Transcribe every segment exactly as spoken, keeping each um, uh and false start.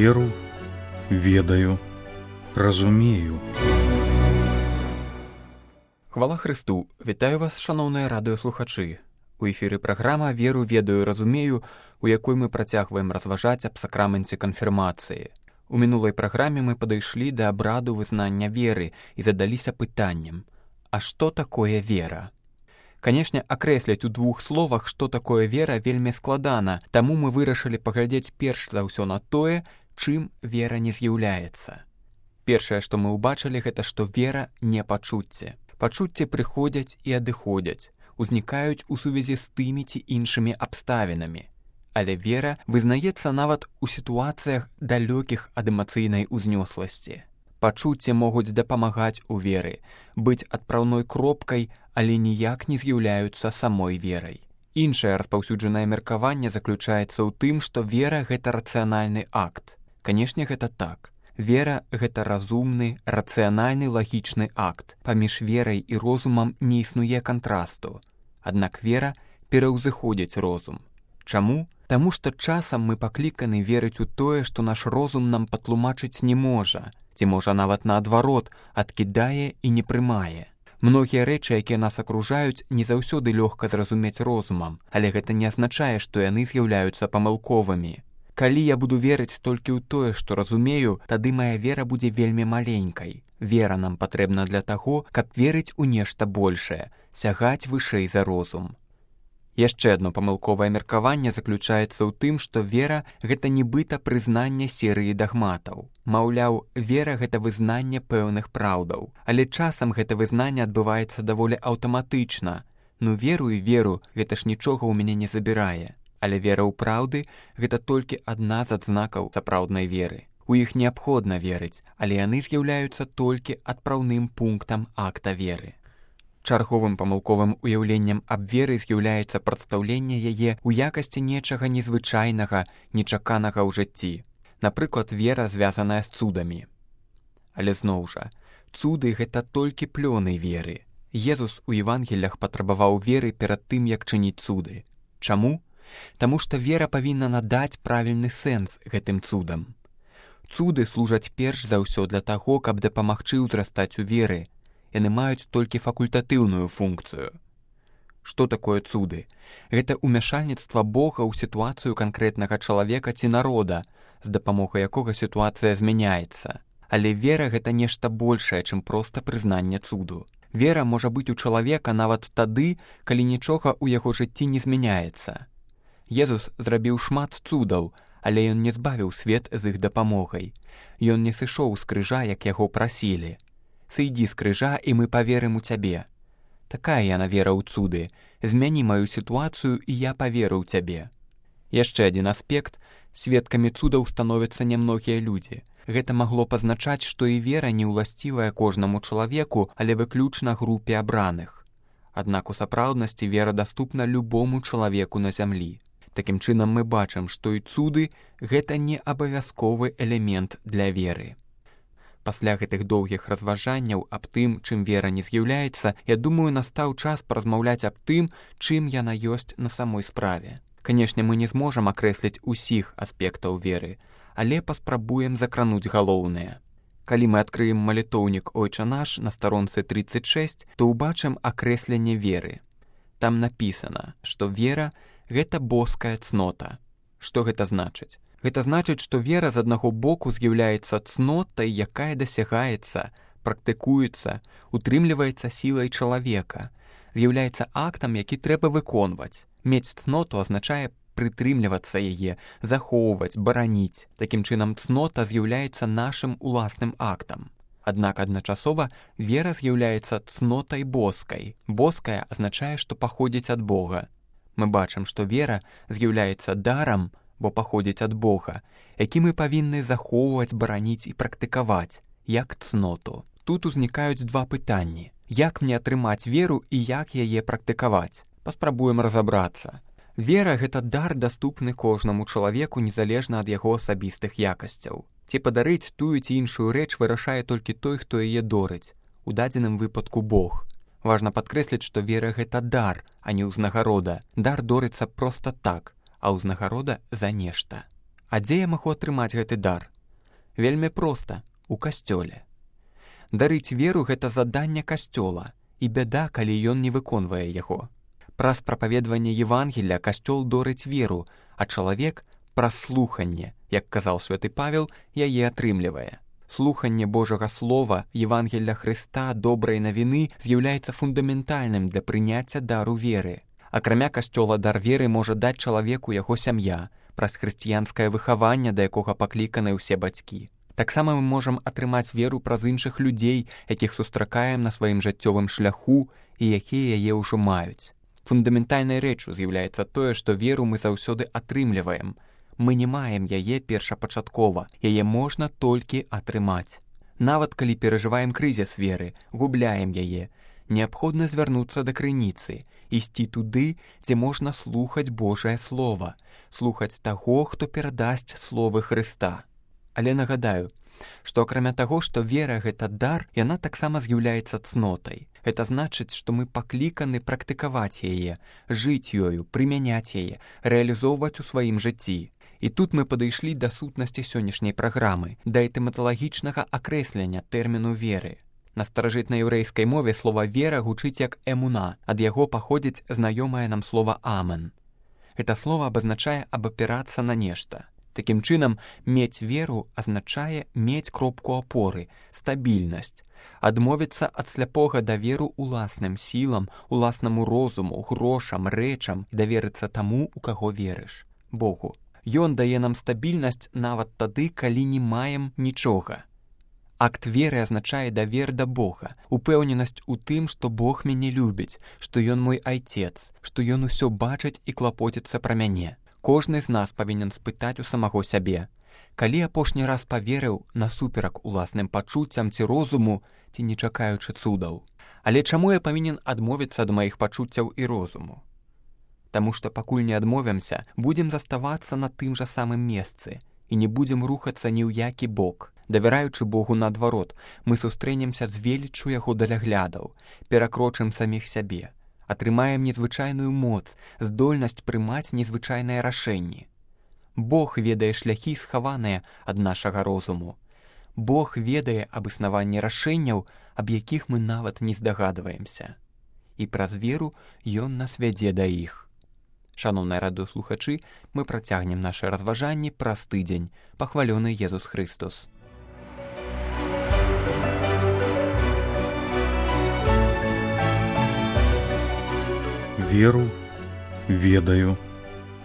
Веру, ведаю, разумею. Хвала Христу! Вітаю вас, шановныя радыёслухачы. У эфіры праграма «Веру, ведаю, разумею», у якой мы працягваем разважаць аб сакраменце канфірмацыі. У мінулай праграме мы падышлі да абраду вызнання веры і задаліся пытаннем: а што такое вера? Канешне, акрэсліць у двух словах, што такое вера, вельмі складана, таму мы вырашылі паглядзець перш за ўсё на тое, чым вера не з'яўляецца. Першае, што мы ўбачылі, гэта што вера не пачуцце. Пачуцці прыходзяць і адыходзяць, узнікаюць у сувязі з тымі ці іншымі абставінамі. Але вера вызнаецца нават у сітуацыях далёкіх ад эмацыйнай узнёсласці. Пачуцці могуць дапамагаць у веры, быць адпраўной кропкай, але ніяк не з'яўляюцца самой верай. Іншае распаўсюджанае меркаванне заключаецца ў тым, што вера — гэта рацыянальны акт. Канешне, гэта так. Вера — гэта разумны, рацыянальны, лагічны акт. Паміж верай і розумам не існуе кантрасту. Аднак вера пераўзыходзіць розум. Чаму? Таму што часам мы пакліканы верыць у тое, што наш розум нам патлумачыць не можа, ці можа нават наадварот, адкідае і не прымае. Многія рэчы, якія нас акружаюць, не заўсёды лёгка зразумець розумам, але гэта не азначае, што яны з'яўляюцца памылковымі. Калі я буду верыць толькі ў тое, што разумею, тады мая вера будзе вельмі маленькай. Вера нам патрэбна для таго, каб верыць у нешта большае, сягаць вышэй за розум. Яшчэ адно памылковае меркаванне заключаецца ў тым, што вера — гэта нібыта прызнанне серыі дагматаў. Маўляў, вера — гэта вызнанне пэўных праўдаў. Але часам гэта вызнанне адбываецца даволі аўтаматычна. Ну веру і веру, гэта ж нічога ў мяне не забірае. Але вера ў праўды — гэта толькі адна з адзнакаў сапраўднай веры. У іх неабходна верыць, але яны з'яўляюцца толькі адпраўным пунктам акта веры. Чарговым памылковым уяўленнем аб веры з'яўляецца прадстаўленне яе ў якасці нечага незвычайнага, нечаканага ў жыцці. Напрыклад, вера, звязаная з цудамі. Але зноў жа, цуды — гэта толькі плёны веры. Езус у Евангеліях патрабаваў веры перад тым, як чыніць цуды. Чаму? Таму што вера павінна надаць правільны сэнс гэтым цудам. Цуды служаць перш за ўсё для таго, каб дапамагчы ўзрастаць у веры. Яны маюць толькі факультатыўную функцыю. Што такое цуды? Гэта ўмяшальніцтва Бога ў сітуацыю канкрэтнага чалавека ці народа, з дапамогай якога сітуацыя змяняецца. Але вера — гэта нешта большае, чым проста прызнанне цуду. Вера можа быць у чалавека нават тады, калі нічога ў яго жыцці не змяняецца. Езус зрабіў шмат цудаў, але ён не збавіў свет з іх дапамогай. Ён не сышоў з крыжа, як яго прасілі. «Сыйдзі з крыжа, і мы паверым у цябе». Такая яна вера ў цуды. Змяні маю сітуацыю, і я паверу ў цябе. Яшчэ адзін аспект. Сведкамі цудаў становяцца нямногія людзі. Гэта магло пазначаць, што і вера не ўласцівая кожнаму чалавеку, але выключна групе абраных. Аднак у сапраўднасці вера даступна любому чалавеку на зямлі. Такім чынам мы бачым, што і цуды — гэта не абавязковы элемент для веры. Пасля гэтых доўгіх разважанняў аб тым, чым вера не з'яўляецца, я думаю, настаў час паразмаўляць аб тым, чым яна ёсць на самой справе. Канешне, мы не зможам акрэсліць усіх аспектаў веры, але паспрабуем закрануць галоўнае. Калі мы адкрыем малітоўнік «Ойча наш» на старонцы трыццаць шэсць, то ўбачым акрэсленне веры. Там напісана, што вера — гэта боская цнота. Што гэта значыць? Гэта значыць, што вера з аднаго боку з'яўляецца цнотай, якая дасягаецца, практыкуецца, утрымліваецца сілай чалавека, з'яўляецца актам, які трэба выконваць. Мець цноту азначае прытрымлівацца яе, захоўваць, бараніць. Такім чынам, цнота з'яўляецца нашым уласным актам. Аднак адначасова вера з'яўляецца цнотай боскай. Боская азначае, што паходзіць ад Бога. Мы бачым, што вера з'яўляецца дарам, бо паходзіць ад Бога, які мы павінны захоўваць, бараніць і практыкаваць, як цноту. Тут узнікаюць два пытанні. Як мне атрымаць веру і як яе практыкаваць? Паспрабуем разабрацца. Вера — гэта дар, даступны кожнаму чалавеку незалежна ад яго асабістых якасцяў. Ці падарыць тую ці іншую рэч вырашае толькі той, хто яе дорыць, у дадзеным выпадку Бог. Важна падкрэсліць, што вера — гэта дар, а не ўзнагарода. Дар дорыцца проста так, а ўзнагарода за нешта. А дзе я магу атрымаць гэты дар? Вельмі проста, у касцёле. Дарыць веру – гэта заданне касцёла, і бяда, калі ён не выконвае яго. Праз прапаведванне Евангелля касцёл дорыць веру, а чалавек праз слуханне, як казаў святы Павел, яе атрымлівае. Слуханне Божага Слова, Евангелля Хрыста, добрай навіны з'яўляецца фундаментальным для прыняцця дару веры. Акрамя касцёла дар веры можа даць чалавеку яго сям'я, праз хрысціянскае выхаванне, да якога пакліканы ўсе бацькі. Таксама мы можам атрымаць веру праз іншых людзей, якіх сустракаем на сваім жыццёвым шляху і якія яе ўжо маюць. Фундаментальнай рэччу з'яўляецца тое, што веру мы заўсёды атрымліваем. Мы не маем яе першапачаткова, яе можна толькі атрымаць. Нават калі перажываем крызіс веры, губляем яе, неабходна звярнуцца да крыніцы, ісці туды, дзе можна слухаць Божае Слова, слухаць таго, хто перадасць словы Хрыста. Але нагадаю, што акрамя таго, што вера – гэта дар, яна таксама з'яўляецца цнотай. Гэта значыць, што мы пакліканы практыкаваць яе, жыць ёю, прымяняць яе, рэалізоўваць у сваім жыцці. І тут мы падышлі да сутнасці сённяшняй праграмы, да этымалагічнага акрэслення тэрміну веры. На старажытнай яўрэйскай мове слова «вера» гучыць як «эмуна», ад яго паходзіць знаёмае нам слова «амен». Гэта слова абазначае абапірацца на нешта. Такім чынам, мець веру азначае мець кропку апоры, стабільнасць, адмовіцца ад сляпога даверу уласным сілам, уласнаму розуму, грошам, рэчам і даверыцца таму, у каго верыш – Богу. Ён дае нам стабільнасць нават тады, калі не маем нічога. Акт веры азначае давер да Бога, упэўненасць у тым, што Бог мяне любіць, што Ён мой айцец, што Ён усё бачыць і клапоціцца пра мяне. Кожны з нас павінен спытаць у самого сябе, калі апошні раз паверыў насуперак уласным пачуццям ці розуму, ці не чакаючы цудаў. Але чаму я павінен адмовіцца ад маіх пачуццяў і розуму? Таму што пакуль не адмовімся, будзем заставацца на тым жа самым месцы і не будзем рухацца ні ў які бок. Давяраючы Богу наадварот, мы сустрэнемся з веліччу яго даляглядаў, перакрочым саміх сябе, атрымаем незвычайную моц, здольнасць прымаць незвычайныя рашэнні. Бог ведае шляхі, схаваныя ад нашага розуму. Бог ведае аб існаванні рашэнняў, аб якіх мы нават не здагадваемся. І праз веру Ён нас вядзе да іх. Шаноўныя радыёслухачы, мы працягнем нашы разважанні праз тыдзень. Пахвалёны Езус Хрыстос. Веру, ведаю,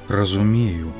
разумею.